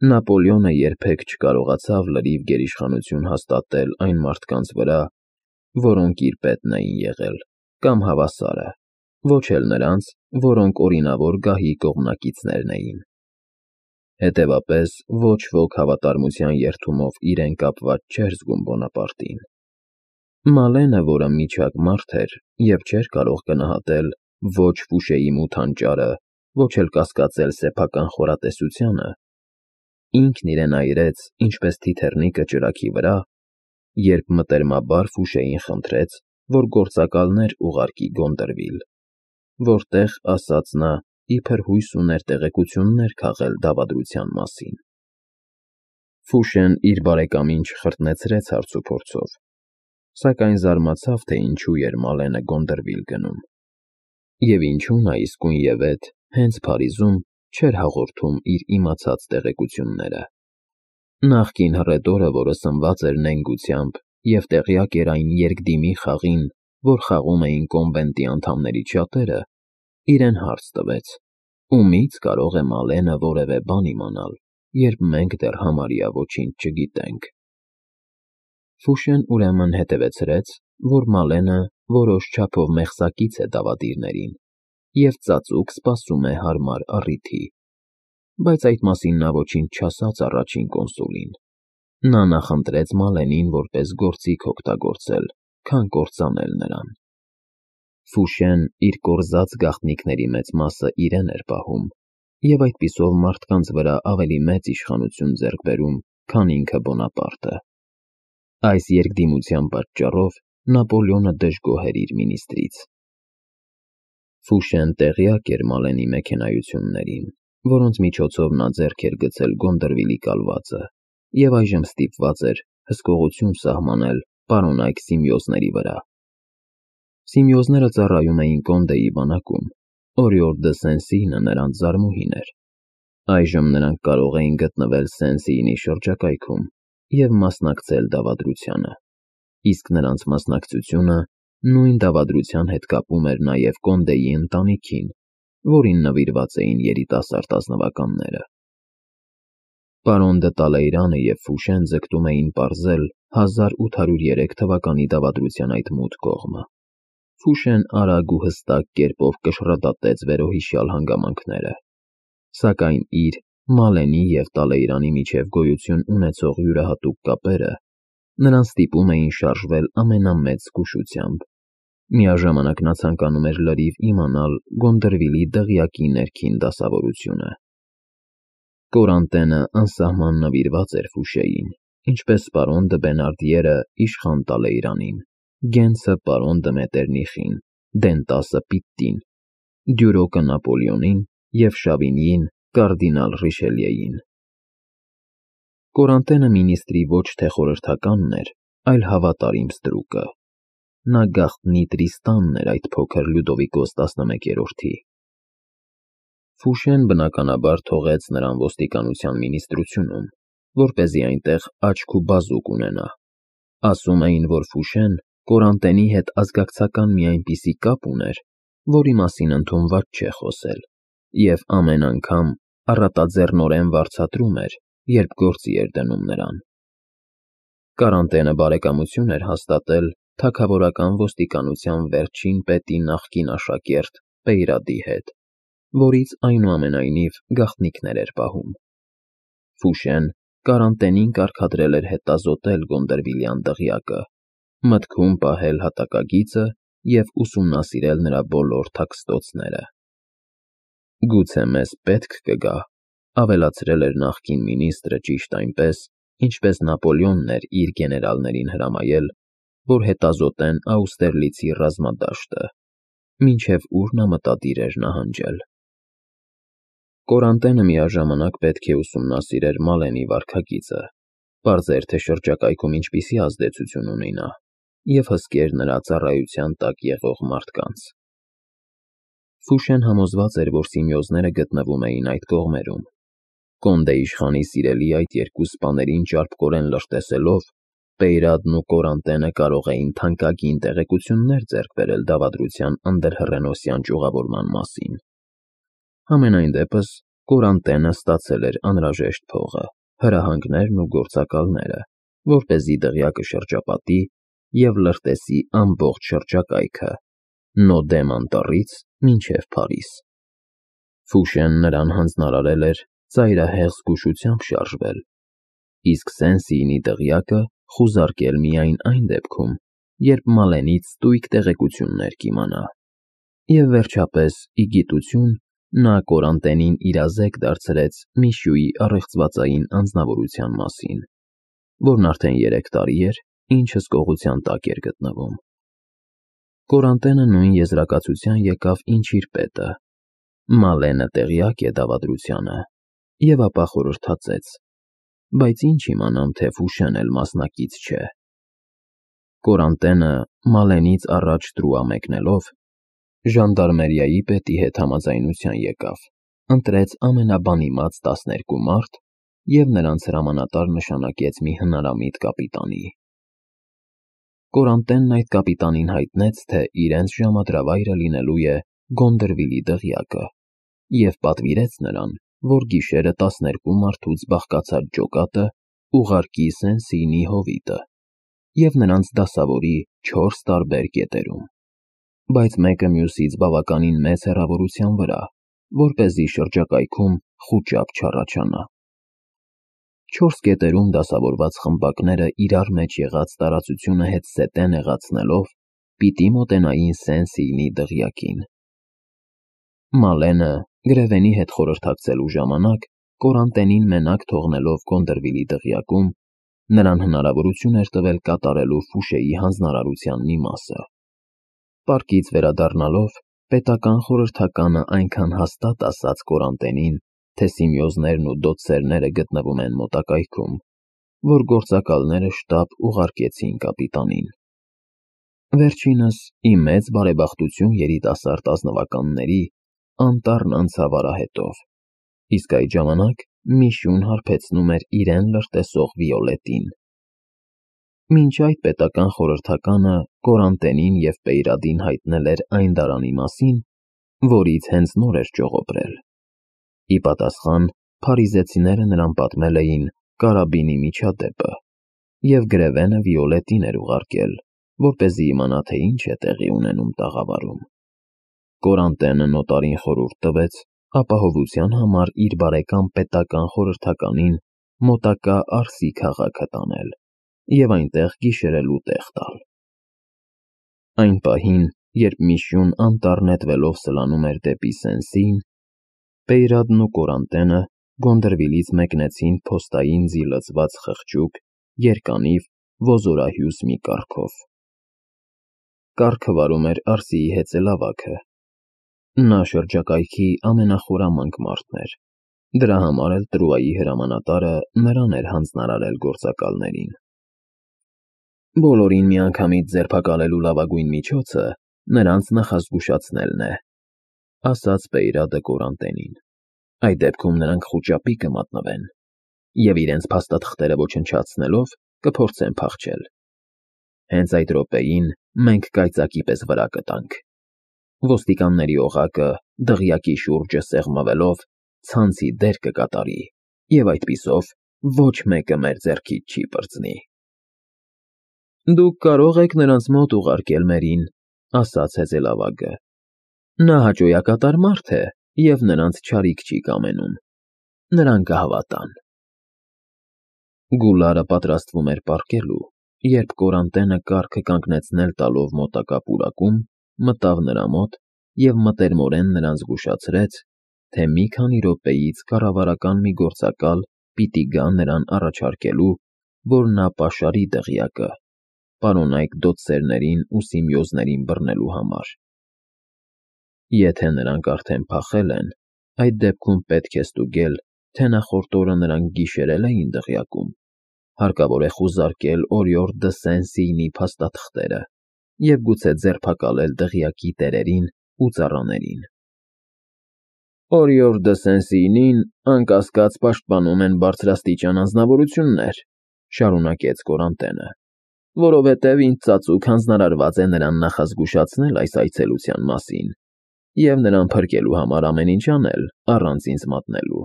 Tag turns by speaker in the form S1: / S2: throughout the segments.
S1: Նապոլեոնը երբեք չկարողացավ լրիվ գերիշխանություն հաստատել այն մարդկանց վրա, որոնք իր պետն էին եղել, կամ հավասարը, ոչ էլ նրանց, որոնք օրինավոր գահի կողմնակիցներն էին։ Հետևաբար, ոչ ոք հավատարմության երդումով իրեն կապված չէր զգում Բոնապարտին։ Մալենը, որը միջակ մարդ էր և չէր կարող գնահատել ոչ Ֆուշեի մութ հանճարը, ոչ էլ կասկածել սեփական խորատեսությանը, ինքն իրեն այրեց, ինչպես թիթեռնիկը ջրագի վրա, երբ մտերմաբար Ֆուշեին խնդրեց, որ գործակալներ ուղարկի Գոնդրվիլ, որտեղ, ասաց նա, իբր հույս ուներ տեղեկություններ քաղել դավադրության մասին։ Ֆուշեն իր բարեկամին չխրտնեցրեց հարցուփորձով, սակայն զարմացավ, թե ինչու էր Մալենը Գոնդրվիլ գնում, և ինչու նա իսկույնևեթ հենց Փարիզում չէր հաղորդում իր իմացած տեղեկությունները։ Նախկին հռետորը, որը սնված էր նենգությամբ և տեղյակ էր այն երկդիմի խաղին, որ խաղում էին կոնվենտի անդամներից շատերը, իրեն հարց տվեց. ումի՞ց կարող է Մալենը որևէ բան իմանալ, երբ մենք դեռ համարյա ոչինչ չգիտենք։ Ֆուշեն ուրեմն հետևեցրեց, որ Մալենը որոշ չափով մեղսակից է դավադիրներին և ծածուկ սպասում է հարմար առիթի, բայց այդ մասին նա ոչինչ չասաց առաջին կոնսուլին։ Նա նախընտրեց Մալենին որպես գործիք օգտագործել, քան կործանել նրան։ Ֆուշեն իր կորզած գաղտնիքների մեծ մասը իրեն էր պահում և այդպիսով մարդկանց վրա ավելի մեծ իշխանություն ձեռք բերում, քան ինքը Բոնապարտը։ Այս երկդիմության պատճառով Նապոլեոնը դժգոհ էր իր մինիստրից։ Ֆուշեն տեղյակ էր Մալենի մեքենայություններին, որոնց միջոցով նա ձեռք էր գցել Գոնդրվիլի կալվածը, և այժմ ստիպված էր հսկողություն սահմանել պարոնայք Սիմեոզների վրա։ Սիմեոզները ծառայում էին Կոնդեի բանակում, Օրիոլ դը Սեն֊Սիյնը նրանց զարմուհին էր։ Այժմ նրանք կարող էին գտնվել Սեն֊Սիյնի շրջակայքում և մասնակցել դավադրությանը, իսկ նրանց մասնակցությունը նույն դավադրության հետ կապում էր նաև Կոնդեի ընտանիքին, որին նվիրված էին երիտասարդ ազնվականները։ Պարոն դը Տալեյրանը և Ֆուշեն ձգտում էին պարզել 1803 թվականի դավադրության այդ մութ կողմը։ Ֆուշեն արագ ու հստակ կերպով կշռադատեց վերոհիշյալ հանգամանքները, սակայն իր, Մալենի և Տալեյրանի միջև գոյություն ունեցող յուրահատուկ կապերը նրան ստիպում էին շարժվել ամենամեծ զգուշությամբ։ Միաժամանակ նա ցանկանում էր լրիվ իմանալ Գոնդրվիլի դղյակի ներքին դասավորությունը։ Կորանտենը անսահման նվիրված էր Ֆուշեին, ինչպես պարոն դը Բենարդիերը իշխան Տալեյրանին, Գենսը պարոն դը Մետերնիխին, Դենտասը Պիտտին, Դյուրոկը Նապոլեոնին և Շավինիին կարդինալ Ռիշելիեին։ Կորանտենը մինիստրի ոչ թե խորհրդականն էր, այլ հավատարիմ ստրուկը։ Նա գաղտնի Տրիստանն էր այդ փոքր Լյուդովիկոս 11-րդի։ Ֆուշեն բնականաբար թողեց նրան ոստիկանության մինիստրությունում, որպեսզի այնտեղ աչք ու բազուկ ունենա։ Ասում էին, որ Ֆուշեն Կորանտենի հետ ազգակցական մի այնպիսի կապ ուներ, որի մասին ընդունված չէ խոսել, և ամեն անգամ առատաձեռնորեն վարձատրում էր, երբ գործի էր դնում նրան։ Կարանտենը բարեկամություն էր հաստատել թագավորական ոստիկանության վերջին պետի նախկին աշակերտ Պեյրադի հետ, որից այնուամենայնիվ գաղտնիքներ էր պահում։ Ֆուշեն Կարանտենին կարգադրել էր հետազոտել Գոնդրվիլյան դղյակը, մտքում պահել հատակագիծը և ուսումնասիրել նրա բոլոր թաքստոցները։ «Գուցե մեզ պետք կգա», ավելացրել էր նախկին մինիստրը ճիշտ այնպես, ինչպես Նապոլեոնն էր իր գեներալներին հրամայել, որ հետազոտեն Աուստերլիցի ռազմադաշտը, մինչև ուր նա մտադիր էր նահանջել։ Կորանտենը միաժամանակ պետք է ուսումնասիրեր Մալենի վարքագիծը, պարզեր, թե շրջակայքում ինչպիսի ազդեցություն ունի նա, և հսկեր նրա ծառայության տակ եղող մարդկանց։ Ֆուշեն համոզված էր, որ Սիմեոզները գտնվում էին այդ կողմերում։ Կոնդե իշխանի սիրելի այդ երկու սպաներին ճարպկորեն լրտեսելով, Պեյրադն ու Կորանտենը կարող էին թանկագին տեղեկություններ ձեռք բերել դավադրության անդրհռենոսյան ճյուղավորման մասին։ Համենայն դեպս Կորանտենը ստացել էր անհրաժեշտ փողը, հրահանգներն ու գործակալները, որպեսզի դղյակը շրջապատի և լրտեսի ամբողջ շրջակայքը, Նոդեմ անտառից մինչև Փարիզ։ Ֆուշեն նրան հանձնարարել էր ծայրահեղ զգուշությամբ շարժվել, իսկ Սեն-Սիինի դղյակը խուզարկել միայն այն դեպքում, երբ Մալենից ստույգ տեղեկություններ կիմանա։ Եվ վերջապես, ի գիտություն, նա Կորանտենին իրազեկ դարձրեց Միշյուի առեղծվածային անձնավորության մասին, որն արդեն 3 տարի էր, ինչ հսկողության տակ էր գտնվում։ Կորանտենը նույն եզրակացության եկավ, ինչ իր պետը. Մալենը տեղյակ է դավադրությանը, և ապա խորհրդածեց. բայց ինչ իմանամ, թե Ֆուշեն էլ մասնակից չէ։ Կորանտենը Մալենից առաջ տրուա մեկնելով, ժանդարմերիայի պետի հետ համաձայնության եկավ, ընտրեց ամենաբանիմաց 12 մարդ և նրանց հրամանատար նշանակեց մի հնարամիտ կապիտանի։ Կորանտենն այդ կապիտանին հայտնեց, թե իրենց ժամադրավայրը լինելու է Գոնդրվիլի դղյակը, և պատվիրեց նրան, որ գիշերը 12 մարդուց բաղկացած ջոկատը ուղարկի Սեն-Սիինի հովիտը և նրանց դասավորի 4 տարբեր կետերում, բայց մեկը մյուսից բավականին մեծ հեռավորության վրա, որպեսզի շրջակայքում խուճապ չառաջանա։ 4 կետերում դասավորված խմբակները իրար մեջ եղած տարածությունը հետզհետե նեղացնելով, պիտի մոտենային Սեն-Սիինի դղյակին։ Մալենը, Գրևենի հետ խորհրդակցելու ժամանակ, Կորանտենին մենակ թողնելով Գոնդրվիլի դղյակում, նրան հնարավորություն էր տվել կատարելու Ֆուշեի հանձնարարության մի մասը։ Պարկից վերադառնալով, պետական խորհրդականը այնքան հաստատ ասաց Կորանտենին, թե Սիմեոզներն ու դոցերները գտնվում են մոտակայքում, որ գործակալները շտապ ուղարկեցին կապիտանին։ Վերջինս, ի մեծ բարեբախտություն երիտասարդ ազնվականների, անտառն անցավ արահետով, իսկ այդ ժամանակ Միշյուն հարբեցնում էր իրեն լրտեսող Վիոլետին։ Մինչ այդ պետական խորհրդականը Կորանտենին և Պեյրադին հայտնել էր այն դարանի մասին, որից հենց նոր էր ճողոպրել։ Ի պատասխան, փարիզեցիները նրան պատմել էին կարաբինի միջադեպը, և Գրևենը Վիոլետին էր ուղարկել, որպեսզի իմանա, թե ինչ է տեղի ունենում տաղավարում։ Կորանտենը նոտարին խորհուրդ տվեց ապահովության համար իր բարեկամ պետական խորհրդականին մոտակա Արսի քաղաքը տանել և այնտեղ գիշերելու տեղ տալ։ Այն պահին, երբ Միշյուն անտառ նետվելով սլանում էր դեպի Սեն-Սիին, Պեյրադն ու Կորանտենը Գոնդրվիլից մեկնեցին փոստային ձի լցված խղճուկ, երկանիվ, ոզորահյուս մի կառքով։ Կառքը վարում էր Արսիի հեծելավագը։ Նա շրջակայքի ամենախորամանկ մարդն էր, դրա համար էլ Տրուայի հրամանատարը նրան էր հանձնարարել գործակալներին։ Բոլորին միանգամից ձերբակալելու լավագույն միջոցը նրանց նախազգուշացնելն է, ասաց Պեյրադը Կորանտենին։ Այդ դեպքում նրանք խուճապի կմատնվեն և իրենց փաստաթղթերը ոչնչացնելով կփորձեն փախչել։ Հենց այդ րոպեին մենք կայծակի պես վրա կտանք։ Ոստիկանների օղակը, դղյակի շուրջը սեղմվելով, ցանցի դեր կկատարի, և այդպիսով ոչ մեկը մեր ձեռքից չի պրծնի։ Դուք կարող եք նրանց մոտ ուղարկել մերին, ասաց հեծելավագը։ Նա հաճոյակատար մարդ է և նրանց չարիք չի կամենում։ Նրան կհավատան։ Գուլարը պատրաստվում էր պառկելու, երբ Կորանտենը կառքը կանգնեցնել տալով մոտակա պուրակում, մտավ նրա մոտ և մտերմորեն նրան զգուշացրեց, թե մի քանի րոպեից կառավարական մի գործակալ պիտի գա նրան առաջարկելու, որ նա պաշարի դղյակը, պարոնայք դոցերներին ու Սիմեոզներին բռնելու համար։ Եթե նրանք արդեն փախել են, այդ դեպքում պետք է ստուգել, թե նախորդ օրը նրանք գիշերել էին դղյակում, հարկավոր է խուզարկել Օրիորդ դը Սեն-Սիինի փաստաթղթերը և գուցե ձերբակալել դղյակի տերերին ու ծառաներին։ Օրիորդ դը Սեն-Սիինին, անկասկած, պաշտպանում են բարձրաստիճան անձնավորություններ, շարունակեց Կորանտենը, որովհետև ինձ ծածուկ հանձնարարված է նրան նախազգուշացնել այս այցելության մասին և նրան փրկելու համար ամեն ինչ անել, առանց ինձ մատնելու։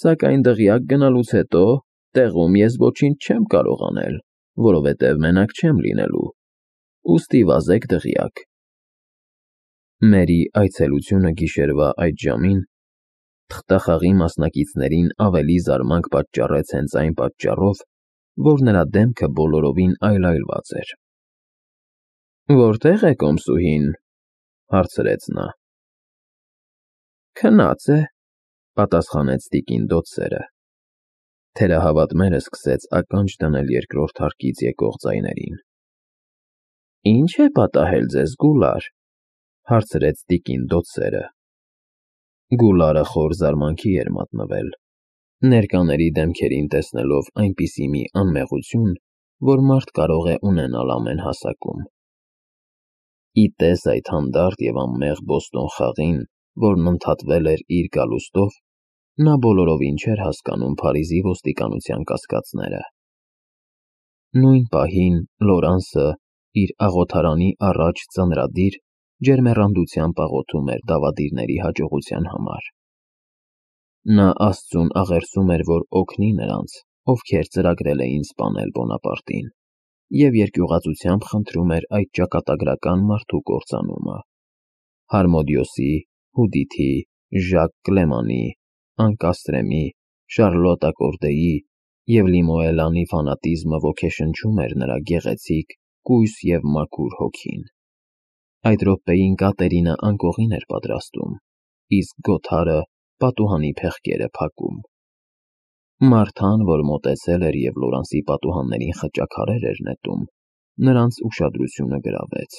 S1: Սակայն դղյակ գնալուց հետո տեղում ես ոչինչ չեմ կարող անել, որովհետև մենակ չեմ լինելու, ուստի վազեք դղյակ։ Մերի այցելությունը գիշերվա այդ ժամին թղթախաղի մասնակիցներին ավելի զարմանք պատճառեց հենց այն պատճառով, որ նրա դեմքը բոլորովին այլայլված էր։ «Որտե՞ղ է կոմսուհին», հարցրեց նա։ «Քնած է», պատասխանեց տիկին Դոթսերը։ Թերահավատմերը սկսեց ականջ դնել երկրորդ հարկից եկող ձայներին։ «Ի՞նչ է պատահել ձեզ, Գուլար», հարցրեց տիկին Դոթսերը։ Գուլարը խոր զարմանքի էր մատնվել, ներկաների դեմքերին տեսնելով այնպիսի մի անմեղություն, որ մարդ կարող է ունենալ ամեն հասակում։ Ի տես այդ հանդարտ և անմեղ Բոստոն խաղին, որն ընդհատվել էր իր գալուստով, նա բոլորովին չէր հասկանում Փարիզի ոստիկանության կասկածները։ Նույն պահին Լորանսը իր աղոթարանի առաջ ծանրադիր ջերմեռանդությամբ աղոթում էր դավադիրների հաջողության համար։ Նա Աստծուն աղերսում էր, որ օգնի նրանց, ովքեր ծրագրել էին սպանել Բոնապարտին, և երկյուղածությամբ խնդրում էր այդ ճակատագրական մարդու կործանումը։ Հարմոդիոսի, Հուդիթի, Ժակ Կլեմանի, Անկաստրեմի, Շարլոտա Կորդեի և Լիմոելանի ֆանատիզմը ոգեշնչում էր նրա գեղեցիկ, կույս և մաքուր հոգին։ Այդ րոպեին Կատերինը անկողին էր պատրաստում, իսկ Գոթարը պատուհանի փեղկերը փակում։ Մարթան, որ մոտեցել էր և Լորանսի պատուհաններին խճաքարեր էր նետում, նրանց ուշադրությունը գրավեց։